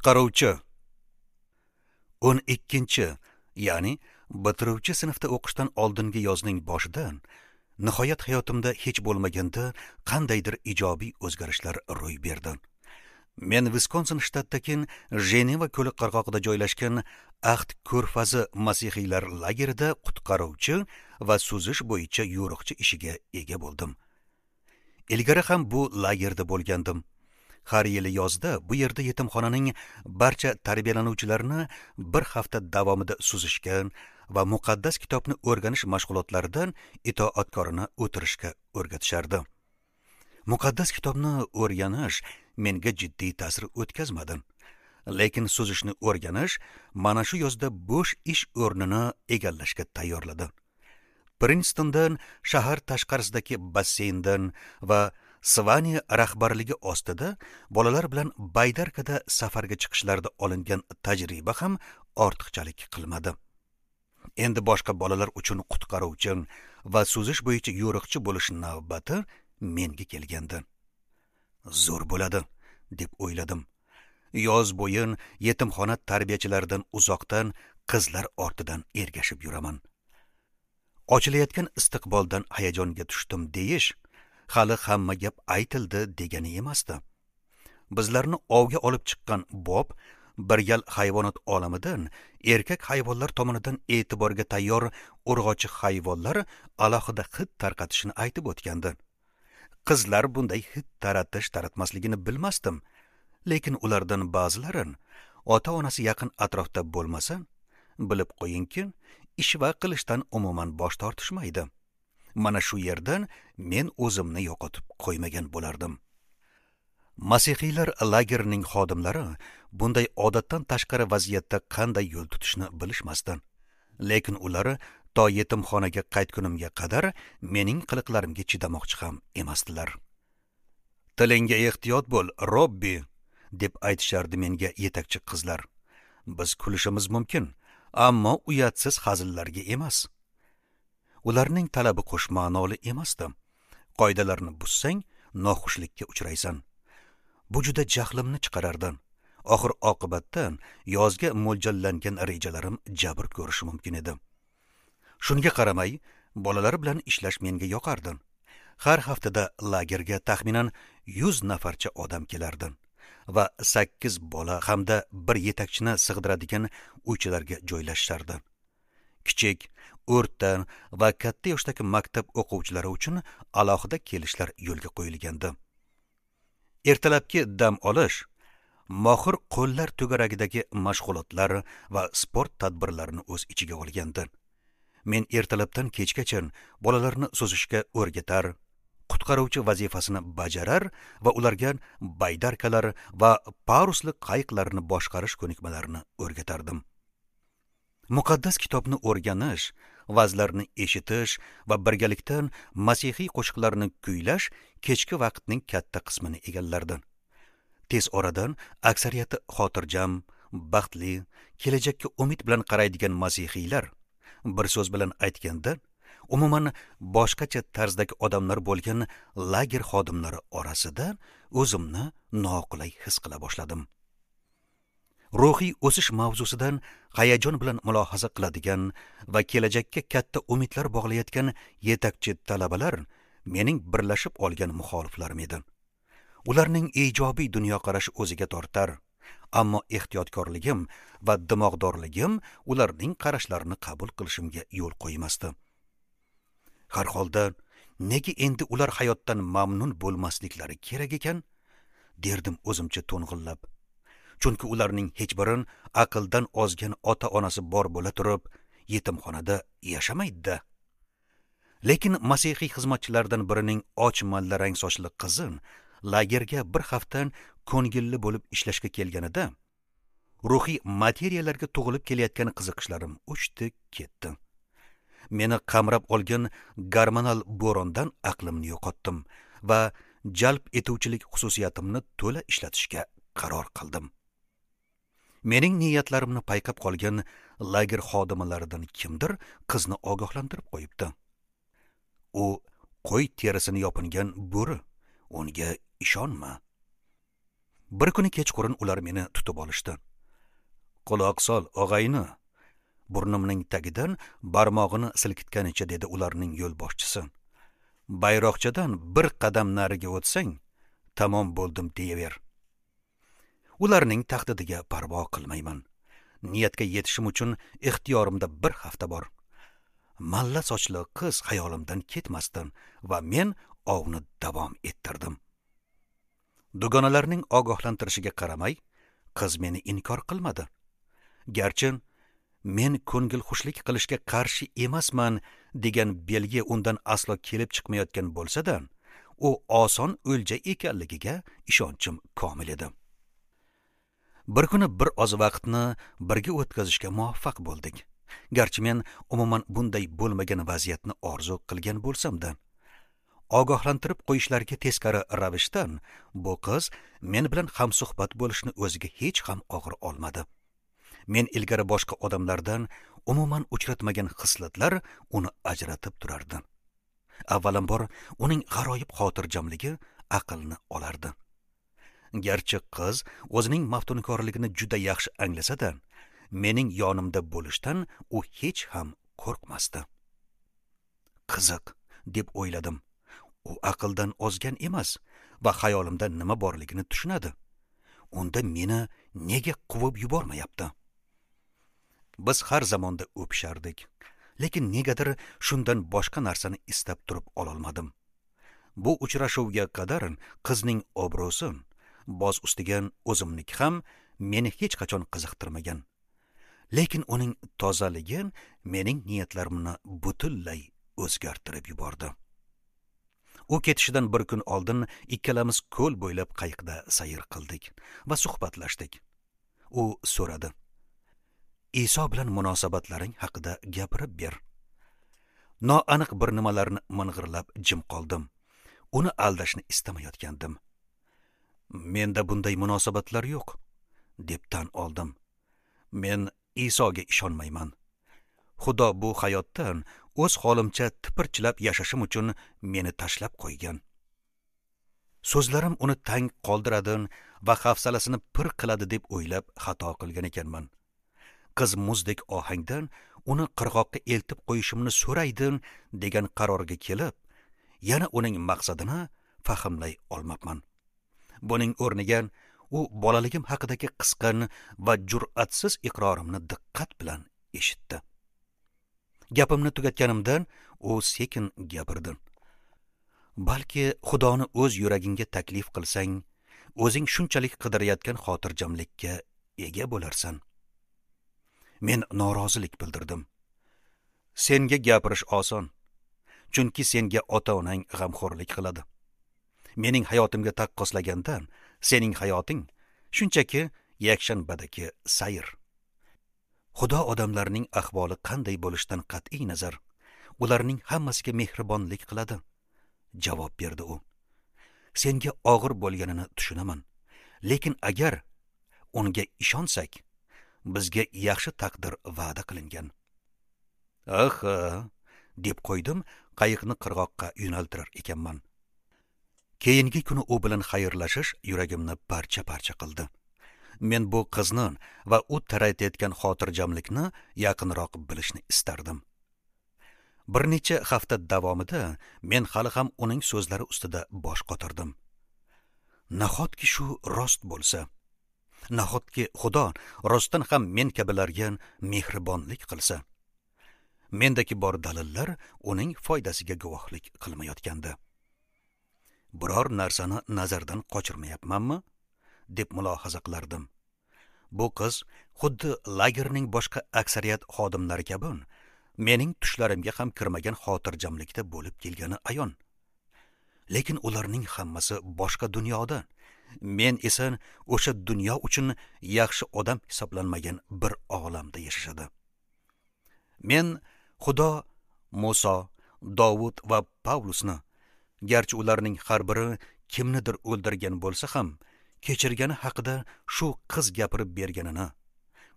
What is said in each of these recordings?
Qutqaruvchi. 12, ya'ni bitiruvchi sinfda o'qishdan oldingi yozning boshida nihoyat hayotimda hech bo'lmaganda qandaydir ijobiy o'zgarishlar ro'y berdi. Men Viskonsin shtatidagi Jeneva ko'li qirg'og'ida joylashgan Ahd ko'rfazi masihiylar lagerida qutqaruvchi va suzish bo'yicha yo'riqchi ishiga ega bo'ldim. Ilgari ham bu lagerda bo'lgandim. Har yili yozda bu yerda yetimxonaning barcha tarbiyalanuvchilarini bir hafta davomida suzishga va muqaddas kitobni o'rganish mashg'ulotlaridan itoatkorona o'tirishga o'rgatishardi. Muqaddas kitobni o'rganish menga jiddiy ta'sir o'tkazmadi. Lekin suzishni o'rganish mana shu yozda bo'sh ish o'rnini egallashga tayyorladi. Prinstondan shahar tashqarisidagi basseyndan va Svani rahbarligi ostida bolalar bilan baydarkada safarga chiqishlarda olingan tajriba ham ortiqchalik qilmadi. Endi boshqa bolalar uchun qutqaruvchi va suzish bo'yicha yo'riqchi bo'lish navbati menga kelgandi. Zo'r bo'ladi, deb o'yladim. Yoz bo'yi yetimxona tarbiyachilaridan uzoqdan qizlar ortidan ergashib yuraman. Ochilayotgan istiqboldan hayajonga tushdim deyish hali hamma gap aytildi degani emasdi. Bizlarni ovga olib chiqqan Bob bir gal hayvonot olamidan erkak hayvonlar tomonidan e'tiborga tayyor urg'ochi hayvonlar alohida hid tarqatishini aytib o'tgandi. Qizlar bunday hid taratish taratmasligini bilmasdim, lekin ulardan ba'zilari ota-onasi yaqin atrofda bo'lmasa, bilib qo'yingki, ishva qilishdan umuman bosh tortishmaydi. Mana shu yerdan men o'zimni yo'qotib qo'ymagan bo'lardim. Masihiylar lagerining xodimlari bunday odatdan tashqari vaziyatda qanday yo'l tutishni bilishmasdi. Lekin ular to yetimxonaga qaytgunimga qadar mening qiliqlarimga chidamoqchi ham emasdilar. "Tilingga ehtiyot bo'l, Robbi", deb aytishardi menga yetakchi qizlar. "Biz kulishimiz mumkin, ammo uyatsiz hazillarga emas." Ularning talabi qo'shma'noli emasdi. Qoidalarni buzsang, noxushlikka uchraysan. Bu juda jahlimni chiqarardi. Oxir oqibatda yozga mo'ljallangan rejalarim jabr ko'rishi mumkin edi. Shunga qaramay, bolalar bilan ishlash menga yoqardi. Har haftada lagerga taxminan 100 nafarcha odam kelardi va 8 bola hamda bir yetakchini sig'diradigan uychalarga joylashishardi. Kichik, o'rta va katta yoshdagi maktab o'quvchilari uchun alohida kelishlar yo'lga qo'yilgandi. Ertalabki dam olish mohir qo'llar to'garagidagi mashg'ulotlar va sport tadbirlarini o'z ichiga olgandi. Men ertalabdan kechgacha bolalarni suzishga o'rgatar, qutqaruvchi vazifasini bajarar va ularga baydarkalar va parusli qayiqlarni boshqarish ko'nikmalarini o'rgatardim. Muqaddas kitobni o'rganish, va'zlarni eshitish va birgalikda masihiy qo'shiqlarni kuylash kechki vaqtning katta qismini egallardi. Tez oradan aksariyati xotirjam, baxtli, kelajakka umid bilan qaraydigan masihiylar, bir so'z bilan aytganda, umuman boshqacha tarzdagi odamlar bo'lgan lager xodimlari orasida o'zimni noqulay his qila boshladim. Ruhiy o'sish mavzusidan hayajon bilan mulohaza qiladigan va kelajakka katta umidlar bog'layotgan yetakchi talabalar mening birlashib olgan muxoliflarim edi. Ularning ijobiy dunyoqarashi o'ziga tortar, ammo ehtiyotkorligim va dimog'dorligim ularning qarashlarini qabul qilishimga yo'l qo'ymasdi. Har holda, nega endi ular hayotdan mamnun bo'lmasliklari kerak ekan, derdim o'zimcha to'ng'illab. Chunki ularning hech biri aqldan ozgan ota-onasi bor bo'la turib, yetimxonada yashamaydi-da. Lekin masihiy xizmatchilardan birining och mallarang sochli qizi lagerga bir hafta ko'ngilli bo'lib ishlashga kelganida, ruhiy materiyalarga tug'ilib kelayotgan qiziqishlarim o'chdi, ketdi. Meni qamrab olgan gormonal bo'rondan aqlimni yo'qotdim va jalb etuvchilik xususiyatimni to'la ishlatishga qaror qildim. Mening niyatlarimni payqab qolgan lager xodimlaridan kimdir qizni ogohlantirib qo'yibdi. U qo'y terisini yopingan bo'ri, unga ishonma. Bir kuni kechqurun ular meni tutib olishdi. Quloq sol, og'ayni. Burnimning tagidan barmog'ini silkitganicha dedi ularning yo'lboshchisi. Bayroqchadan bir qadam nariga o'tsang, tamom bo'ldim deyaver. Ularning tahdidiga parvo qilmayman. Niyatga yetishim uchun ixtiyorimda bir hafta bor. Malla sochli qiz xayolimdan ketmasdan va men ovni davom ettirdim. Dugonalarning ogohlantirishiga qaramay, qiz meni inkor qilmadi. Garchi men ko'ngil xushlik qilishga qarshi emasman degan belgi undan aslo kelib chiqmayotgan bo'lsa-da, u oson o'lja ekanligiga ishonchim komil edi. Bir kuni bir oz vaqtni birga o'tkazishga muvaffaq bo'ldik. Garchi men umuman bunday bo'lmagan vaziyatni orzu qilgan bo'lsam-da, ogohlantirib qo'yishlariga teskari ravishdan bu qiz men bilan hamsuhbat bo'lishni o'ziga hech ham og'ir olmadi. Men ilgari boshqa odamlardan umuman uchratmagan xislatlar uni ajratib turardi. Avvalambor uning g'aroyib xotirjamligi aqlni olardi. Garchi qiz o'zining maftunkorligini juda yaxshi anglasa-da, mening yonimda bo'lishdan u hech ham qo'rqmasdi. Qiziq, deb o'yladim. U aqldan ozgan emas va xayolimda nima borligini tushunadi. Unda meni nega quvib yubormayapti? Biz har zamonda o'pishardik, lekin negadir shundan boshqa narsani istab turib ololmadim. Bu uchrashuvga qadar qizning obro'si, boz ustiga o'zimniki ham meni hech qachon qiziqtirmagan. Lekin uning tozaligi mening niyatlarimni butunlay o'zgartirib yubordi. U ketishidan bir kun oldin ikkalamiz ko'l bo'ylab qayiqda sayr qildik va suhbatlashdik. U so'radi: Iso bilan munosabatlaring haqida gapirib ber. Noaniq bir nimalarni ming'irlab jim qoldim. Uni aldashni istamayotgandim. Menda bunday munosabatlar yo'q, deb tan oldim. Men Isoga ishonmayman. Xudo bu hayotdan o'z holimcha tipirchilab yashashim uchun meni tashlab qo'ygan. So'zlarim uni tang qoldiradi va hafsalasini pir qiladi deb o'ylab xato qilgan ekanman. Qiz muzdek ohangdan uni qirg'oqqa eltib qo'yishimni so'raydi degan qarorga kelib, yana uning maqsadini fahmlay olmabman. Buning o'rniga u bolaligim haqidagi qisqan va jur'atsiz iqrorimni diqqat bilan eshitdi. Gapimni tugatganimdan u sekin gapirdi. Balki Xudoni o'z yuragingga taklif qilsang, o'zing shunchalik qidirayotgan xotirjamlikka ega bo'larsan. Men norozilik bildirdim. Senga gapirish oson, chunki senga ota-onang g'amxo'rlik qiladi. Mening hayotimga taqqoslagandan sening hayoting shunchaki yakshanbadagi sayr. Xudo odamlarning ahvoli qanday bo'lishidan qat'iy nazar, ularning hammasiga mehribonlik qiladi, javob berdi u. Senga og'ir bo'lganini tushunaman, lekin agar unga ishonsak, bizga yaxshi taqdir va'da qilingan. Aha, deb qo'ydim, qayiqni qirg'oqqa yo'naltirar ekanman. Keyingi kuni u bilan xayrlashish yuragimni parcha-parcha qildi. Men bu qizni va u taratayotgan xotirjamlikni yaqinroq bilishni istardim. Bir necha hafta davomida men hali ham uning so'zlari ustida bosh qotirdim. Nahotki shu rost bo'lsa? Nahotki Xudo rostdan ham men kabilarga mehribonlik qilsa? Mendagi bor dalillar uning foydasiga guvohlik qilmayotgandi. Biror narsani nazardan qochirmayapmanmi, deb mulohaza qilardim. Bu qiz xuddi lagerning boshqa aksariyat xodimlari kabi mening tushlarimga ham kirmagan xotirjamlikda bo'lib kelgani ayon. Lekin ularning hammasi boshqa dunyoda. Men esa o'sha dunyo uchun yaxshi odam hisoblanmagan bir olamda yashashadi. Men Xudo Muso, Dovud va Pavlusni, garchi ularning har biri kimnidir o'ldirgan bo'lsa ham, kechirgani haqida shu qiz gapirib berganini,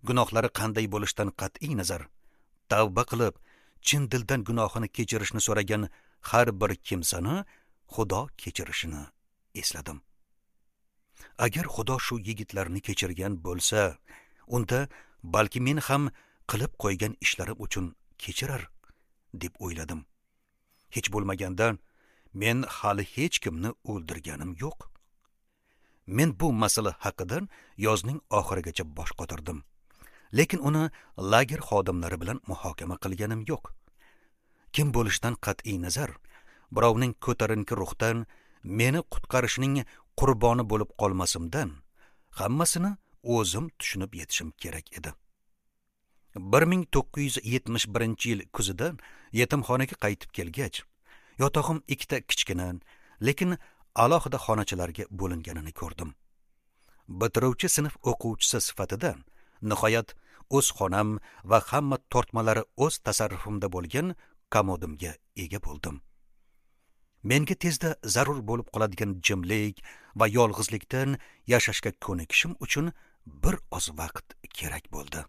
gunohlari qanday bo'lishidan qat'iy nazar, tavba qilib, chin dildan gunohini kechirishni so'ragan har bir kimsani Xudo kechirishini esladim. Agar Xudo shu yigitlarni kechirgan bo'lsa, unda balki men ham qilib qo'ygan ishlarim uchun kechirar, deb o'yladim. Hech bo'lmaganda men hali hech kimni o'ldirganim yo'q. Men bu masala haqida yozning oxirigacha bosh qotirdim. Lekin uni lager xodimlari bilan muhokama qilganim yo'q. Kim bo'lishidan qat'iy nazar, birovning ko'tarinki ruhdan meni qutqarishining qurboni bo'lib qolmasimdan hammasini o'zim tushunib yetishim kerak edi. 1971-yil kuzida yetimxonaga qaytib kelgach, yotog'im ikkita kichkina, lekin alohida xonachalarga bo'linganini ko'rdim. Bitiruvchi sinf o'quvchisi sifatida nihoyat o'z xonam va hamma tortmalari o'z tasarrufimda bo'lgan komodimga ega bo'ldim. Menga tezda zarur bo'lib qoladigan jimlik va yolg'izlikdan yashashga ko'nikishim uchun bir oz vaqt kerak bo'ldi.